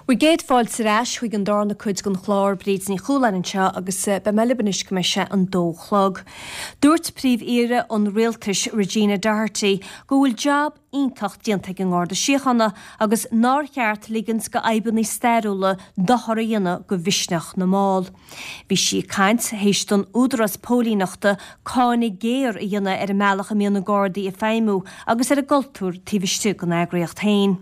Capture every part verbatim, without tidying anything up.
Bhur gcéad fáilte ar ais chuig an darna cuid den chlár Bríd Ní Chualáin anseo agus eh, beidh mé libh anois go mbeidh sé an dó chlog. Dúirt Príomh-Aoire an Rialtais Regina Doherty go bhfuil jab iontach déanta ag an nGarda Síochána agus nár cheart ligint do fhadhbanna stairiúla dochar a dhéanamh do mhisneach na mball. Bhí sí ag caint théis don údarás póilíneachta cáineadh géar a dhéanamh ar an mbealach a mbíonn na Gardaí ag feidhmiú agus ar an gcultúr taobh istigh den eagraíocht féin.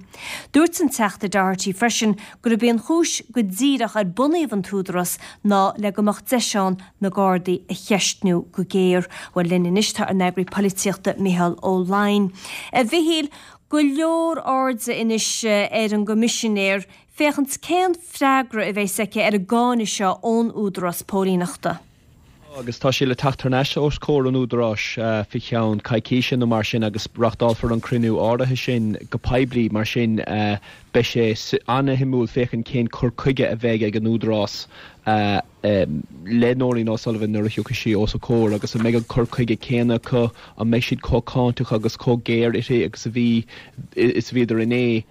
Dúirt an Teachta Doherty freisin gurb é an chúis go díreach ar bunaíodh an t-údarás ná le go mbeadh deis ann na Gardaí a cheistniú go géar, Bhuel linn anois tá an eagraí polaitíochta Micheál Ó Laighin. A Mhichíl go leor airde anois ar an gcoimisinéir féachaint cén freagra a bheas aici ar an gcáineadh seo ón údarás póilíneachta. Agus tá sé le teacht thar n-ais os comhair an údaráis faoi cheann coicíse nó mar sin agus reáchtálfar an cruinniú áirithe sin go poiblí mar sin beidh sé an-shuimiúil féachaint cén cur chuige a bheidh ag an údarás le Nóirín O'Sullivan nuair a thiocfaidh sí os a comhair agus an mbeidh an cur chuige céanna acu an mbeidh siad chomh cáinteach agus chomh géar uirthi agus a bhí is a bhíodar inné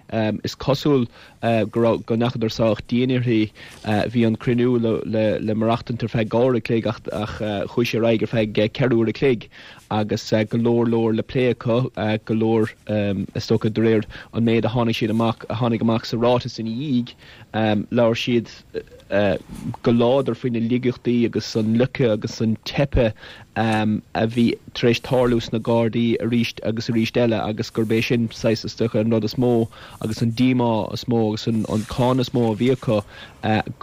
is cosúil go go ndeachadar sách dian uirthi bhí an cruinniú le le le maireachtaint ar feadh dhá uair a chloig ach ach chuaigh sé ar aghaidh ar feadh ceithre uair a chloig agus go leor leor le plé acu go leor is dócha de réir an méid a tháinig siad amach a tháinig amach sa ráiteas ina dhiaidh labhair siad go láidir faoi na laigeachtaí agus an loiceadh agus an teipe a bhí tar éis tarlú sna Gardaí arís agus arís eile agus gurb é sin saghas is dócha an rud is mó agus an díomá is mó agus an an cáineadh is mó a bhí acu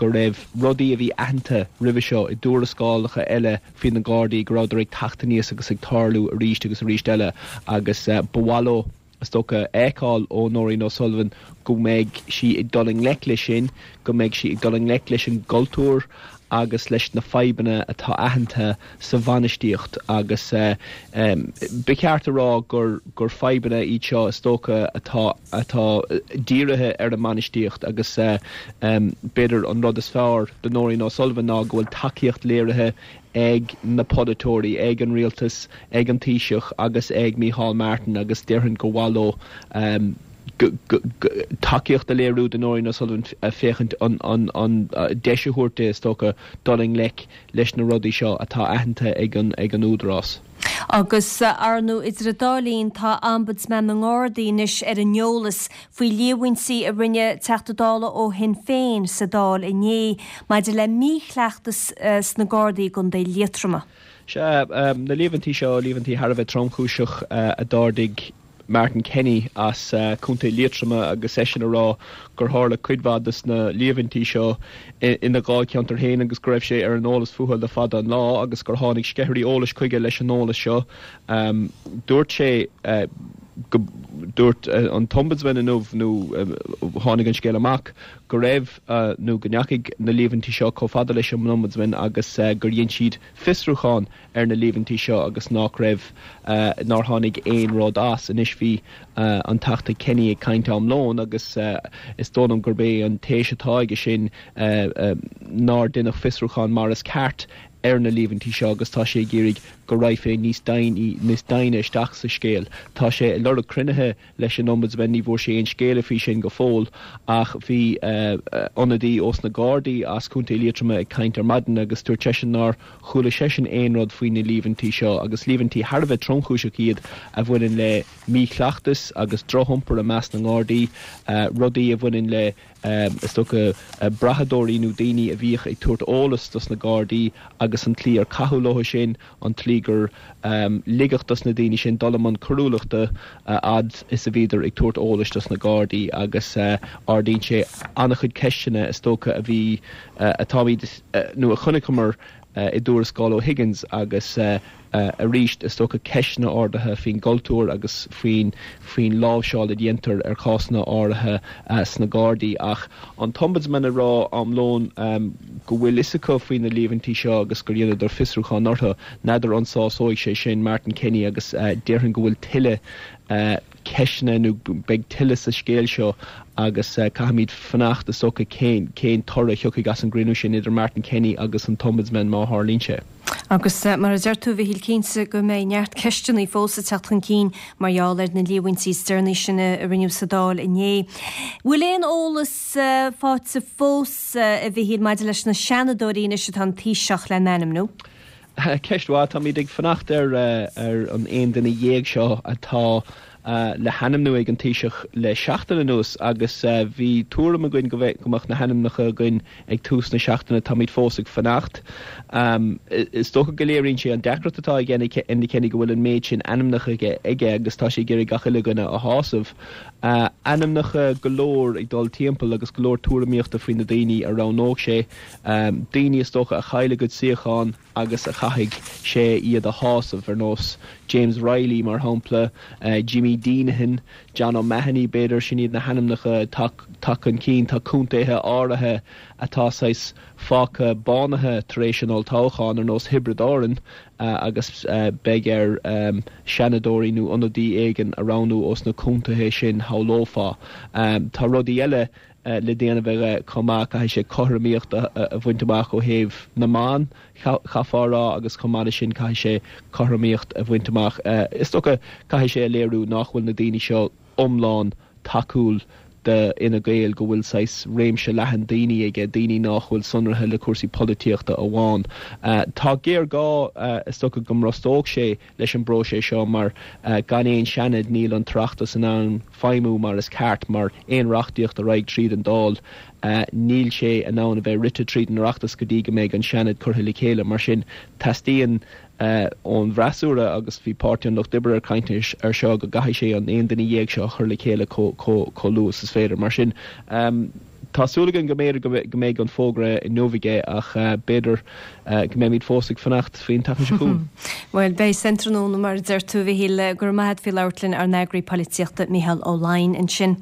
go raibh rudaí a bhí aitheanta roimhe seo i dtuarascálacha eile faoi na Gardaí go rabhadar ag teacht aníos agus ag tarlú arís agus arís eile agus ba mhaith leo is dócha fheiceáil ó Nóirín O'Sullivan go mbeidh sí ag dul i ngleic leis sin, go mbeidh sí ag dul i ngleic leis an gcultúr agus leis na fadhbanna atá aitheanta sa bhainistíocht agus ba cheart a rá gur gur fadhbanna iad seo is dócha atá atá dírithe ar an mbainistíocht agus b'fhéidir an rud is fearr do Nóirín O'Sullivan ná go bhfuil tacaíocht léirithe ag na polaiteoirí, ag an rialtas, ag an Taoiseach agus ag Micheál Martin agus déarfainn gur mhaith leo um, tacaíocht a léiriú do Nóirín O'Sullivan féachaint an, an, an deis a thabhairt is dócha dul i ngleic leis na rudaí seo atá aitheanta ag an, ag an údarás. Agus ar ndóigh idir an dá linn tá Ombudsman na nGardaí anois ar an eolas faoi líomhaintí a rinne Teachta Dála ó Shinn Féin sa Dáil inné maidir le míchleachtas sna Gardaí i gContae Liatroma. Se um, na líomhaintí seo líomhaintí thar a bheith tromchúiseach uh, a d'ardaigh Martin Kenny as uh, Contae Liatroma agus eisean ag rá gur tharla cuid mhaith des na líomhaintí seo ina dháilcheantar féin agus go raibh sé ar an eolas fúthu le fada an lá agus gur tháinig sceithirí eolais chuige leis an eolas seo. Um, dúirt sé uh, go dúirt uh, an t-ombudsman inniu nó uh, tháinig an scéal amach go raibh uh, nó go ndeachaigh na líomhaintí seo chomh fada leis an ombudsman agus uh, gur dhein siad fiosrúchán ar na líomhaintí seo agus nach raibh uh, nár tháinig aon rud as anois bhí uh, an Teachta Kenny ag caint am lón agus uh, is dóigh liom gurb é an téis atá aige sin uh, uh, nár deineadh fiosrúchán mar is ceart ar na líomhaintí seo agus tá sé ag iarraidh go raghfaí níos níos doimhne isteach sa scéal. Tá sé ag lorg cruinnithe leis an ombudsman ní bhfuair sé aon scéala faoi sin go fóill ach bhí ionadaí ós na Gardaí as Contae Liatroma ag caint ar maidin agus dúirt seisean nár chuala seisean aon rud faoi na líomhaintí seo agus líomhaintí thar a bheith tromchúiseach iad a bhaineann le míchleachtas agus drochiompar i measc na nGardaí rudaí a bhaineann le is dócha brathadóirí nó daoine a bhíodh ag tabhairt eolas dos na Gardaí agus an tslí ar caitheadh leo sin an tslí gur um, ligeadh dos na daoine sin dul i mbun coiriúlachta uh, fhad is a bhíodar ag tabhairt eolais dos na Gardaí agus uh, ardaíonn sé an-chuid ceisteanna is dócha a bhí uh, atáid uh, nó a chonaiceamar uh, i dtuarascáil O'Higgins agus uh, uh, arís is dócha ceisteanna ardaithe faoin gcultúr agus faoin faoin láimhseáil a dhéantar ar cásanna áirithe uh, sna Gardaí ach an t-ombudsman ag rá am lón um, go bhfuil fhios acu faoi na líomhaintí seo agus gur dheineadar fiosrúchán orthu n'fheadar an sásóidh sé sin Martin Kenny agus uh, déarfainn go bhfuil tuilleadh uh, ceisteanna nó beidh tuilleadh sa scéal seo agus uh, caithfimid fanacht is dócha cén cén toradh a thiocfaidh as an gcruinniú sin idir Martin Kenny agus an t-ombudsman má tharlaíonn sé. Agus mar a deir tú a Mhichíl cinnte go mbeidh neart ceisteanna fós ag teacht chun cinn mar gheall ar na líomhaintí is deireanaí sin a rinneadh sa Dáil inné. Bhfuil aon eolas faighte fós a Mhichíl maidir leis na Seanadóirí anois atá an Taoiseach le n-ainmniú? Ceist mhaith, táimid ag fanacht ar ar an aon duine dhéag seo atá le hainmniú ag an Taoiseach le seachtain anuas agus bhí tuairim againn go go mbeadh na hainmneacha againn ag tús na seachtaine táimid fós ag fanacht. Is dócha go léiríonn sé an deacracht atá ag Enda Kenny go bhfuil an méid sin ainmneacha aige aige agus tá sé ag iarraidh gach uile dhuine a shásamh. Ainmneacha go leor ag dul timpeall agus go leor tuairimíochta faoi na daoine a roghnódh sé, daoine is dócha a chaill a gcuid suíochán agus a chaithfidh sé iad a shásamh ar nós James Reilly mar shampla, Jimmy Deenihan, John O'Mahony b'fhéidir sin iad na hainmneacha atá chun cinn, tá contaetha áirithe atá saghas fágtha bánaithe tar éis an olltoghcháin ar nós Thiobraid Árann agus beidh air seanadóirí nó ionadaí éigin a roghnú ós na contaetha sin shamhlófá. Tá rudaí eile le déanamh aige chomh maith, caithfidh sé cothromaíocht a bhaint amach ó thaobh na mban, chaithfeá a rá, agus chomh maith leis sin caithfidh sé cothromaíocht a bhaint amach. Is dócha caithfidh sé a léiriú nach bhfuil na daoine seo iomlán tacúil do Fhine Gael, go bhfuil saghas réimse leathan daoine aige, daoine nach bhfuil sonraithe le cúrsaí polaitíochta amháin. Tá géarghá is dócha go mbrostódh sé leis an bpróiseas seo mar gan aon Seanad níl an tOireachtas in ann feidhmiú mar is ceart mar aon reachtaíocht a raghaidh tríd an Dáil níl sé in ann a bheith rite tríd an Oireachtas go dtí go mbeidh an Seanad curtha le chéile. Mar sin teastaíonn ón bhfreasúra agus bhí Páirtí an Lucht Oibre ag caint ar seo go gcaithfidh sé an aon duine dhéag seo a chur le chéile chomh luath is is féidir. Mar sin tá súil againn go mb'fhéidir go mbeidh an fógra inniu aige ach b'fhéidir go mbeimid fós ag fanacht faoin tseachtain seo chugainn. Bhuel, beidh san tráthnóna mar a deir tú, a Mhichíl, go raibh maith agat faoi labhairt linn ár n-eagraí polaitíochta Micheál Ó Laighin ansin.